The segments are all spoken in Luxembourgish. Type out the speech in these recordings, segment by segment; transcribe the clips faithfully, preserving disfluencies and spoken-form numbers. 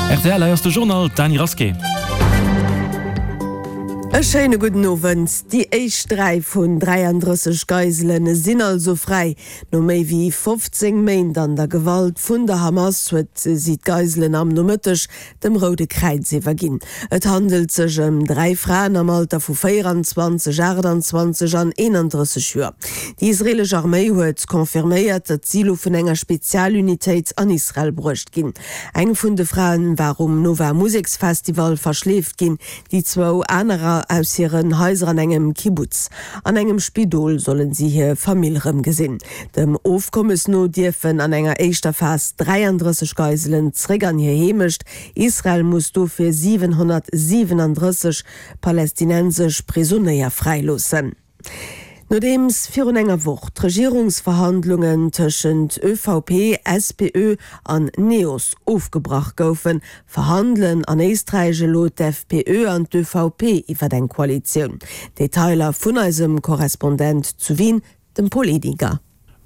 Rtl, hei ass de Journal, d'Dany Rasqué. E schéine gudden Owend. Déi éischt dräi vun dräiandrësseg Geisele sinn also fräi. No méi wéi fofzéng Méint an der Gewalt vun der Hamas huet si d'Geiselen am Nomëtteg dem Roude Kräiz iwwerginn. Et handelt sech ëm dräi Fraen am Alter vu véieranzwanzeg, aachtanzwanzeg an eenandrësseg Joer. Déi israeelesch Arméi huet confirméiert, datt si elo vun enger Spezialunitéit an Israel bruecht ginn. Eng vun de Fraen war um Nova Museksfestival verschleeft ginn, déi zwou anerer aus hiren Haiser an engem Kibbutz. An engem Spidol sollen si hir Famill rëmgesinn. Dem Ofkommes no dierfen an enger éischter Phas dräiandrësseg Geiselen zréck an hir Heemecht. Israel muss dofir siwenhonnertsiwenandrësseg palästinensesch Prisonéier fräiloossen. Nodeems virun enger Woch d'Regierungsverhandlungen tëschent ÖVP, S P Ö an NEOS ofgebrach goufen, verhandelen an Éisträich elo d'F P Ö an d'Ö V P iwwer eng Koalitioun. Detailer vun eisem Korrespondent zu Wien, dem Paul Ediger.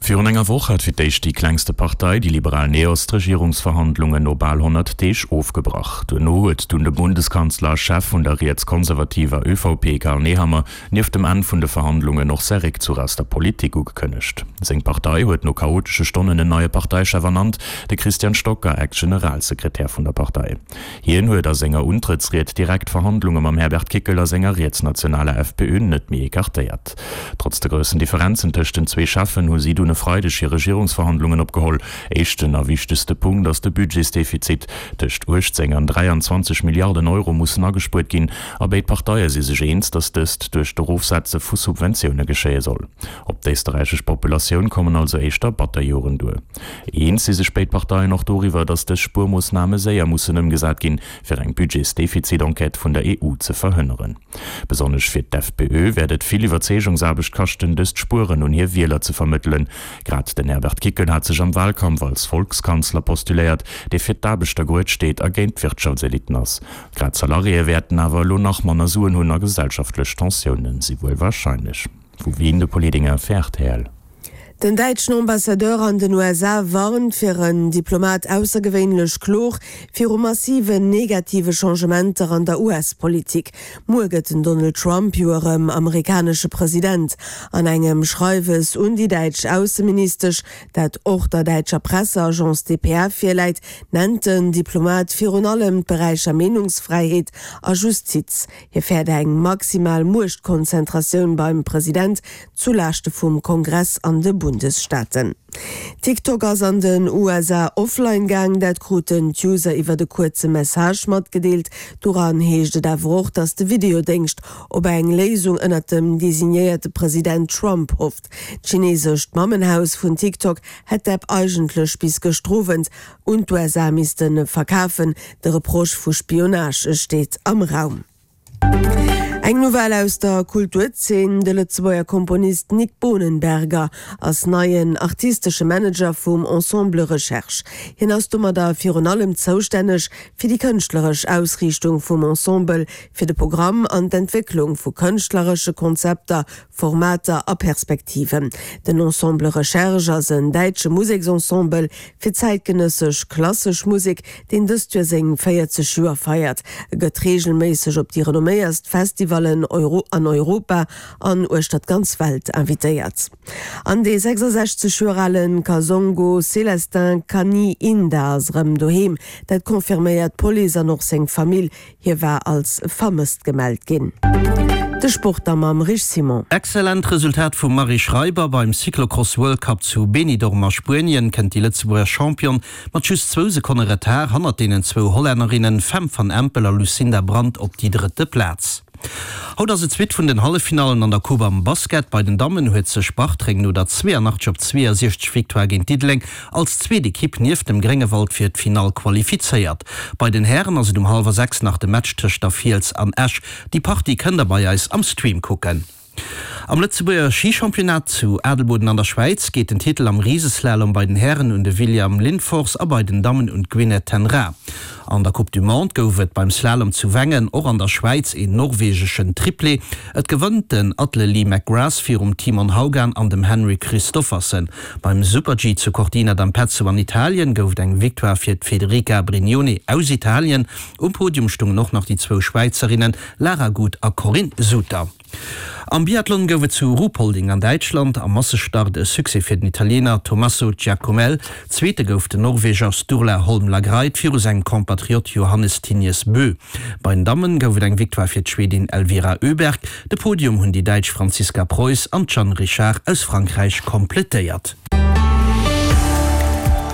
Virun enger Woch hat fir d'éischt déi klengste Partei, déi liberal NEOS, d'Regierungsverhandlungen no bal honnert Deeg ofgebrach. Duerno huet dunn de Bundeskanzler a Chef vun der rietskonservativer Ö V P Karl Nehammer nieft dem Enn vun de Verhandlungen och säi Réckzuch aus der Politik ugekënnegt. Seng Partei huet no chaotesche Stonnen en neie Parteichef ernannt, de Christian Stocker, Ex-Generalsekretär vun der Partei. Hien huet a senger Untrëttsried direkt Verhandlunge mam Herbert Kickl a senger rietsnationaler F P Ö net méi ecartéiert. Trotz de groussen Differenzen tëscht den zwee Cheffen hu si dunn e Freideg hir Regierungsverhandlungen opgeholl. Éischten a wichtegste Punkt ass de Budgetsdefizit. Tëscht uechtzéng an dräianzwanzeg Milliarden Euro mussen agespuert ginn a béid Parteie si sech eens, datt dëst duerch d'Erofsetze vu Subventioune geschéie soll. Op d'éisterräichesch Populatioun kommen also éischter batter Joren duer. Eens si sech béid Parteien och doriwwer, datt dës Spuermoossname séier mussen ëmgesat ginn, fir eng Budgetsdefizit-Enquête vun der E U ze verhënneren. Besonnesch fir d'F P Ö wäert et vill Iwwerzeegungsaarbecht kaschten, dëst Spueren un hir Wieler ze vermëttelen. Grad den Herbert Kickl hat sech am Wahlkampf als Volkskanzler postuléiert, dee fir d'Aarbechter gerued steet a géint d'Wirtschaftseliten ass. Grad d'Salariéë wäerten awer elo nach manner Suen hunn a gesellschaftlech Tensioune si wuel warscheinlech. Vu Wien de Paul Edinger fir R T L. Den däitschen Ambassadeur an den U S A warnt, fir en Diplomat aussergewéinlech kloer, viru massiven negative Changementer an der U S-Politik. Muer gëtt den Donald Trump jo erëm amerikanesche President. An engem Schreiwes un déi däitsch Ausseministesch, dat och der däitscher Presseagence D P A virläit, nennt den Diplomat virun allem d'Beräicher Meenungsfräiheet a Justiz. Hie fäert eng maximal Muechtkonzentratioun beim President zu Laaschte vum Kongress an de Bundesstaaten. TikTok ass an den U S A offline gaang, dat kruten d'User iwwer e kuerze Message matgedeelt. Doran heescht et awer och, datt de Videodéngscht op eng Léisung ënnert dem designéierte President Trump hofft. D'chinesescht Mammenhaus vun TikTok hätt d'App eigentlech bis gëschter Owend un d'U S A misste verkafen. De Reproche vu Spionage steet am Raum. Eng Nouvelle aus der Kulturzeen, De Lëtzebuerger Komponist Nik Bohnenberger ass neien artistesche Manager vum Ensemble Recherche. Hien ass domadder virun allem zoustänneg fir déi kënschtleresch Ausriichtung vum Ensemble, fir de Programm an d'Entwécklung vu kënschtleresche Konzepter, Formater a Perspektiven. Den Ensemble Recherche ass en däitsche Museksensemble fir zäitgenëssesch klassesch Musek, deen dëst Joer seng véierzeg Joer feiert. E gëtt reegelméisseg op déi renomméierst Festivallen Euro an Europa an uechter d'ganz Welt invitéiert. An dee sechsasechzeg Joer ale Kasongo Célestin Kanyinda ass erëm doheem. Dat confirméiert d'Police an och seng Famill. Hie war als vermësst gemellt ginn. De Sport da mam Rich Simon. Excellent Resultat vum Marie Schreiber beim Cyclocross World Cup zu Benidorm a Spuenien kënnt déi Lëtzebuerger Championne mat just zwou Sekonne Retard hannert deenen zwou Hollännerinnen Fem van Empel a Lucinda Brand op déi drëtte Plaz. Haut ass et d'zweet vun den Halleffinallen an der Coupe am Basket. Bei den Dammen huet sech Bartreng no der zwéianachtzeg op zweeënsiechzeg Victoire géint Diddeleng als zweet Ekipp nieft dem Gréngewald fir d'Finall qualifizéiert. Bei den Hären ass et um hallwer sechs nach de Match tëscht der Fiels an Esch. Déi Partie kënnt der bei eis am Stream kucken. Am Lëtzebuerger Schichampionnat zu Adelboden an der Schwäiz geet den Titel am Riseslalom bei den Hären un de William Lindfors a bei den Dammen un d'Gwyneth ten Raa. An der Coupe du Monde gouf et beim Slalom zu Wengen och an der Schwäiz een norwegeschen Triplé. Et gewënnt den Atle Lie McGrath virum Timon Haugan an dem Henrik Kristoffersen. Beim Super-G zu Cortina d'Ampezzo an Italien gouf et eng Victoire fir d'Federica Brignone aus Italien. Um Podium stungen och nach déi zwou Schwäizerinnen Lara Gut a Corinne Suter. Am Biathlon gouf et zu Ruhpolding an Däitschland am Massestart e Succès fir den Italiener Tommaso Giacomel. Zweete gouf den Norweger Sturla Holm Lagreit viru sengem Kompatriot Johannes Thingnes Bö. Bei den Dammen gouf et eng Victoire fir d'Schwedin Elvira Öberg. De Podium hunn déi Däitsch Franziska Preuss an d'Jeanne Richard aus Frankräich komplettéiert.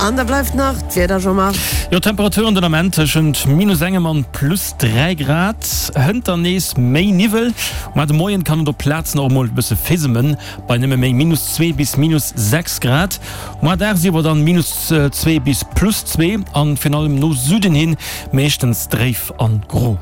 An da bleift nach d'Wieder, Jean-Marc. Jo, Temperaturen den Ament tëschent minus engem an plus dräi Grad. Hënter nees méi Niwwel. Mar de Moien kann et op Plazen och emol e bësse fissemen, bei nëmme méi minus zwee bis minus sechs Grad. Moar dagsiwwer dann minus zwee bis plus zwee an virun allem no Süden hin meeschtens dréif an gro.